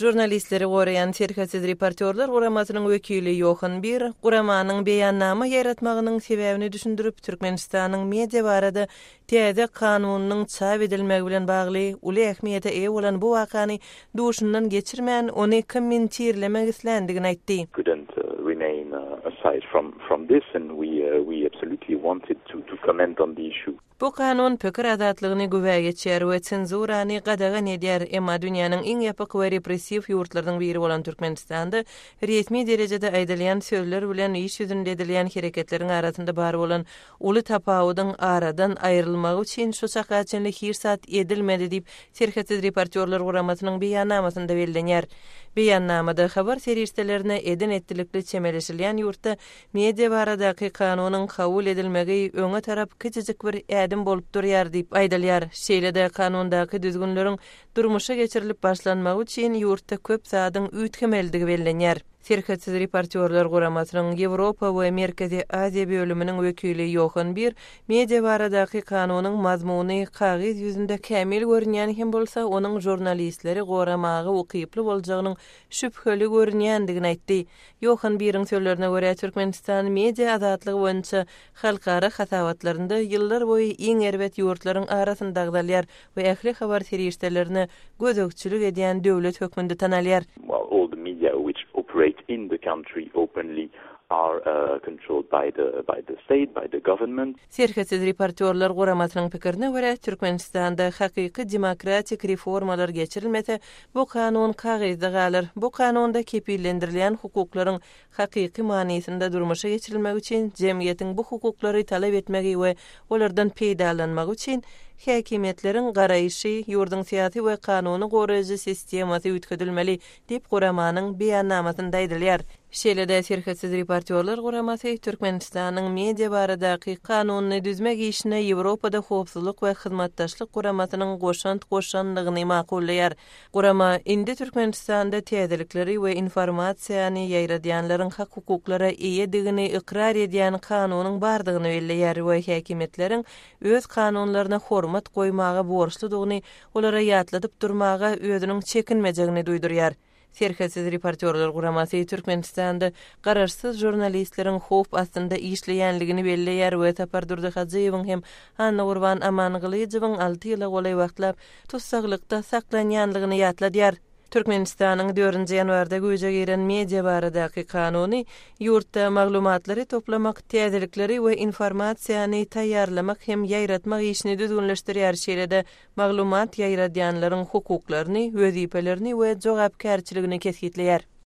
Žurnalistleri goraýan Serhetsiz reportýorlar guramasynyň wekili Ýohan Bir guramanyň beýannama ýaýratmagynyň sebäbini düşündirip, Türkmenistanyň media barada täze kanunynyň çap edilmegi bilen bagly uly ähmiýete eýe bolan bu wakany duşundan geçirmän, ony kommentirlemek isländigini aýtdy. Couldn't remain aside from this and we absolutely wanted to comment on the issue. Bu kanun pikir azatlygyny güwä geçýär we senzurany gadagan edýär, emma dünýäniň iň ýapyk we repressiw ýurtlarynyň biri bolan Türkmenistanda resmi derejede aýdylýan sözler bilen iş ýüzünde edilýän hereketleriň arasynda bar bolan uly tapawudyň aradan aýrylmagy üçin şu çaka çenli hiç zat edilmedi diýip, Serhetsiz reportýorlar guramasynyň beýannamasynda bellenýär. Beýannamada habar serişdelerine eden-etdilikli çemeleşilýän ýurtda Media baradaky kanunyň kabul edilmegi öňe tarap kiçijik bir ädim bolup durýar diýip aýdylýar. Şeýle-de kanundaky düzgünleriň durmuşa geçirilip başlanmagy üçin ýurtda köp zadyň üýtgemelidigi bellenýär. Serhetsiz reportýorlar guramasynyň Ýewropa we Merkezi Aziýa bölüminiň wekili Ýohan Bir media baradaky kanunyň mazmuny kagyz ýüzünde kämil görünýän hem bolsa, onuň žurnalistleri goramaga ukyply boljagynyň şübheli görünýändigini aýtdy. Ýohan Biriň sözlerine görä, Türkmenistan media azatlygy boýunça halkara hasabatlarynda ýyllar boýy iň erbet ýurtlaryň arasynda agzalýar we ähli habar serişdelerine gözegçilik edýän döwlet hökmünde tanalýar. Well, all the media which operate in the country openly are controlled by the by the state, by the government. Serhetsiz reportýorlar guramasynyň pikirine görä, Türkmenistanda hakyky demokratik reformalar geçirilmese, bu kanun kagyzda galar. Bu kanunda kepillendirilýän hukuklaryň hakyky manysynda durmuşa geçirilmegi üçin jemgyýetiň bu hukuklary talap etmegi we olardan peýdalanmagy üçin häkimiýetleriň garaýşy, ýurduň syýasy we kanuny goraýjy sistemasy üýtgedilmeli diýip, guramanyň beýannamasynda aýdylýar. Şeýle-de Serhetsiz reportýorlar guramasy Türkmenistanyň media baradaky kanunyny düzmek işine Ýewropada Howpsuzlyk we Hyzmatdaşlyk Guramasynyň goşant goşandygyny makullaýar. Gurama indi Türkmenistanda täzelikleri we informasiýany ýaýradýanlaryň hak-hukuklara eýedigini ykrar edýän kanunyň bardygyny belleýär we häkimiýetleriň öz kanunlaryna hormat goýmaga borçludygyny olara ýatladyp durmaga özüniň çekinmejegini duýdurýar. Serhetsiz reportýorlar guramasy Türkmenistanda garaşsyz žurnalistleriň howp astynda işleýänligini belleýär we Sapardurdy Hajyýewiň hem Annagurban Amangylyjowyň alty ýyla golaý wagtlap tussaglykda saklanýanlygyny ýatladýar. Türkmenistanyň dördünji ýanwarda güýje giren Media baradaky kanuny ýurtda maglumatlary toplamak, täzelikleri we informasiýany taýýarlamak hem ýaýratmak işini düzgünleşdirýär, şeýle-de maglumat ýaýradýanlaryň hukuklaryny, wezipelerini we jogapkärçiligini kesgitleýär.